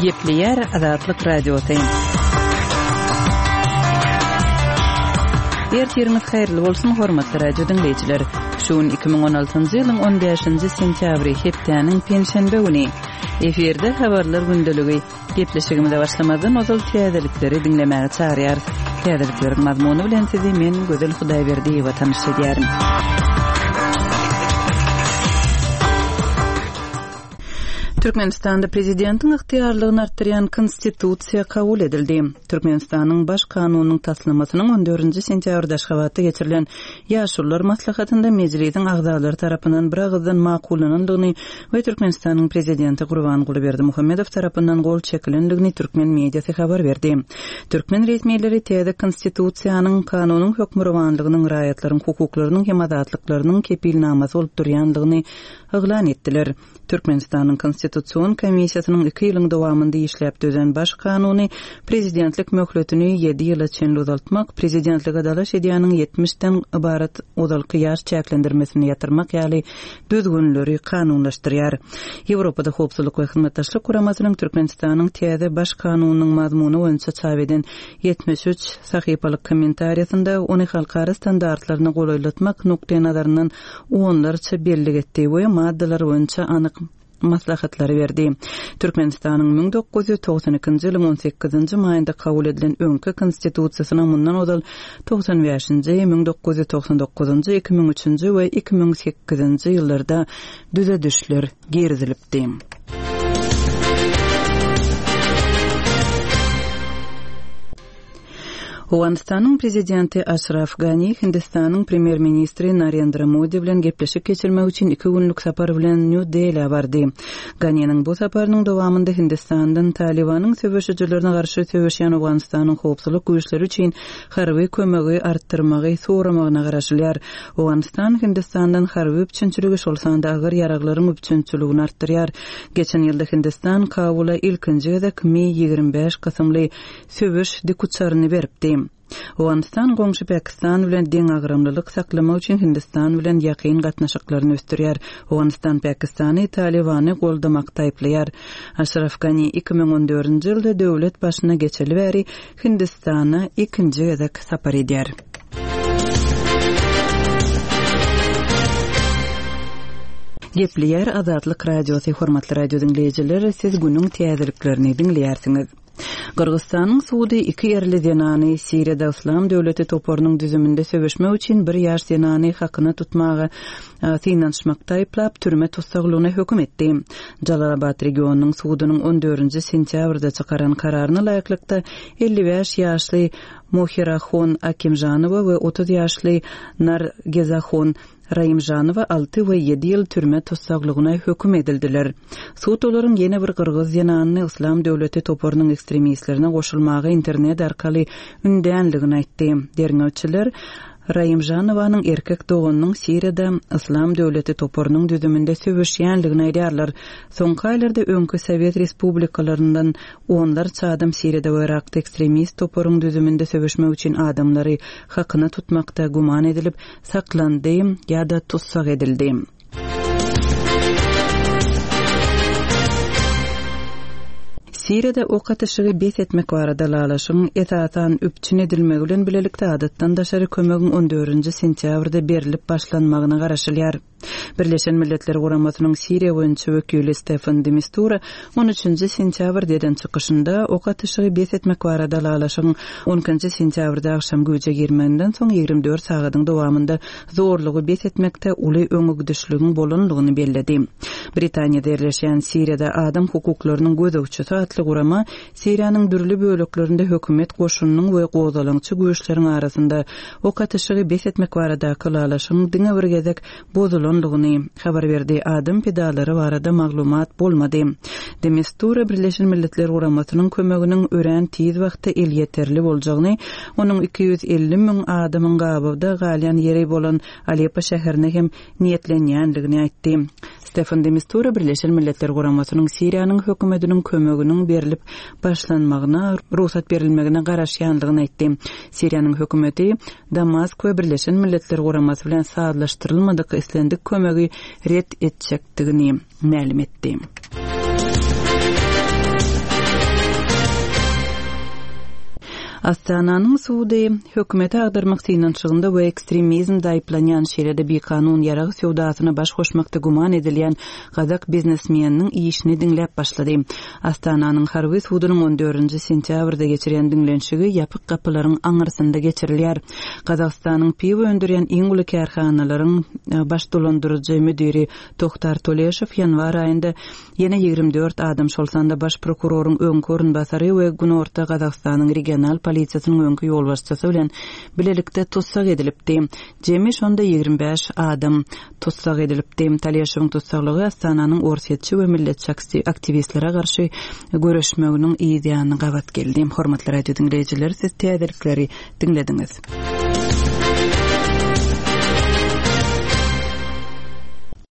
Gepleýär Azatlyk Radiosy. Ertiriňiz haýyrly bolsun, hormatly radio diňleýjiler. Şu gün 2016-njy ýylyň 15-nji sentýabry, hepdäniň penşenbe güni. Efirde habarlar gündeligi. Gepleşigimize başlamazdan ozal täzelikleri diňlemäge çagyrýarys. Täzelikleriň mazmuny bilen sizi men Gözel Hudaýberdiýewa tanyş edýärin. Türkmenistanda prezidentiň ygtyýarlygyny artdyrýan Konstitusiýa kabul edildi. Türkmenistanyň Baş kanunynyň taslamasynyň on dördünji sentýabrda Aşgabatda geçirilen Ýaşulular maslahatynda Mejlisiň agzalary tarapyndan biragyzdan makullanandygyny we Türkmenistanyň Prezidenti Gurbanguly Berdimuhamedow tarapyndan gol çekilendigini türkmen mediasy habar berdi. Türkmen resmileri täze Konstitusiýanyň kanunyň hökmürowanlygynyň, raýatlaryň hukuklarynyň hem azatlyklarynyň kepilnamasy bolup durýandygyny yglan etdiler. Türkmenistanyň Konstitusion komissiýasynyň iki ýylyň dowamynda işläp düzen Baş kanuny prezidentlik möhletini ýedi ýyla çenli uzaltmak, prezidentlige dalaş edýäniň ýetmişden ybarat ozalky ýaş çäklendirmesini ýatyrmak ýaly düzgünleri kanunlaşdyrýar. Ýewropada Howpsuzlyk we Hyzmatdaşlyk Guramasynyň Türkmenistanyň täze Baş kanunynyň mazmuny boýunça çap eden 73 sahypalyk kommentariýasynda ony halkara standartlaryna golaýlatmak nukdaýnazaryndan onlarça bellik etdi we maddalar boýunça anyk maslahatlary berdi. Türkmenistanyň 1992-nji ýylyň on sekizinji maýynda kabul edilen öňki Konstitusiýasyna mundan ozal 95-nji, 1999-njy, 2003-nji we 2008-nji ýyllarda düzedişler girizilipdi. Owganystanyň prezidenti Aşraf Gani Hindistanyň premýer-ministri Narendra Modi bilen gepleşik geçirmek üçin iki günlük sapar bilen Nýu-Delä bardy. Ganiniň bu saparynyň dowamynda Hindistandan Talybanyň söweşijilerine garşy söweşýän Owganystanyň howpsuzlyk güýçleri üçin harby kömegi artdyrmagy soramagyna garaşylýar. Owganystan Hindistandan harby üpjünçiligi, şol sanda agyr ýaraglaryň üpjünçiligini artdyrýar. Geçen ýylda Hindistan Kabula ilkinji gezek Mi 25 kysymly söweş dikuçaryny beripdi. Owganystan goňşy Pakistan bilen deňagramlylyk saklamak üçin Hindistan bilen ýakyn gatnaşyklaryny ösdürýär. Owganystan Pakistany Talybany goldamakda aýyplaýar. Aşraf Gani 2014-nji ýylda döwlet başyna geçeli bäri Hindistana ikinji gezek sapar edýär. Gepleýär Azatlyk Radiosy Hormatly radio diňleýjiler, siz günüň täzeliklerini diňleýärsiňiz. Gyrgyzystanyň sudy iki erli zenany Siriýada Yslam döwleti toparynyň düzüminde söweşmek üçin bir ýaş zenany hakyna tutmaga synanyşmakda aýyplap, türme tussaglygyna höküm etdi. Jalalabat regionynyň sudunyň on dördünji sentýabrda çykaran kararyna laýyklykda, 55 ýaşly Mohirahon Akimžanowa we 30 ýaşly Nargezahon Raimžanowa alty we ýedi ýyl türme tussaglygyna höküm edildiler. Sud olaryň ýene bir gyrgyz zenanyny Yslam döwleti toparynyň ekstremistlerine goşulmaga internet arkaly ündänligini aýtdy. Derňewçiler Raimžanowanyň erkek doganynyň Siriýada Yslam döwleti toparynyň düzüminde söweşýänligini aýdýarlar. Soňky aýlarda öňki sowet respublikalaryndan onlarça adam Siriýada we Yrakda ekstremist toparyň düzüminde söweşmek üçin adamlary hakyna tutmakda güman edilip, saklandy ýa-da tussag edildi. Siriýada ok atyşygy bes etmek barada ylalaşygyň esasan üpjün edilmegi bilen bilelikde adatdan daşary kömegiň on dördünji sentýabrda berlip başlanmagyna garaşylýar. Birleşen Milletler Guramasynyň Siriýa boýunça wekili Stefan de Mistura on üçünji sentýabrda eden çykyşynda ok atyşygy bes etmek barada ylalaşygyň on ikinji sentýabrda agşam güýje girmeginden soň 24 sagadyň dowamynda zorlugy bes etmekde uly öňegidişligiň bolandygyny belledi. Britaniýada ýerleşýän Siriýada adam hukuklarynyň gözegçisi atly gurama Siriýanyň dürli böleklerinde hökümet goşunynyň we gozgalaňçy güýçleriň arasynda ok atyşygy bes etmek baradaky ylalaşygyň diňe bir gezek bozulandygyny habar berdi, adam pidalary barada maglumat bolmady. De Mistura Birleşen Milletler Guramasynyň kömeginiň örän tiz wagtda elýeterli boljagyny, onuň 250 müň adamyň gabawda galýan ýeri bolan Aleppo şäherine hem niýetlenýändigini aýtdy. Stefan de Mistura Birleşen Milletler Guramasynyň Siriýanyň hökümetiniň kömeginiň berlip başlanmagyna rugsat berilmegine garaşýandygyny aýtdy. Siriýanyň hökümeti Damask we Birleşen Milletler Guramasy bilen sazlaşdyrylmadyk islendik kömegi ret etjekdigini mälim etdi. Astananyň sudy hökümeti agdarmak synanyşygynda we ekstremizmde aýyplanýan, şeýle-de bikanun ýarag söwdasyna baş goşmakda güman edilýän gazak biznesmeniniň işini diňläp başlady. Astananyň harby sudunyň on dördünji sentýabrda geçirýän diňlenişigi ýapyk gapylaryň aňyrsynda geçirilýär. Gazagystanyň piwo öndürýän iň uly kärhanalaryň baş dolandyryjy müdiri Tohtar Toleşow ýanwar aýynda Ýene 24 adam, şol sanda baş prokuroryň öňki orunbasary we Günorta Gazagystanyň regional polisiýasynyň öňki ýolbaşçysy bilen bilelikde tussag edilipdi. Jemi şonda 25 adam tussag edilipdi. Taleşowyň tussaglygy Astananyň orsýetçi we milletçi aktiwistlere garşy göreşmeginiň yz ýanyna gabat geldi. Hormatly radio diňleýjiler, siz täzelikleri diňlediňiz.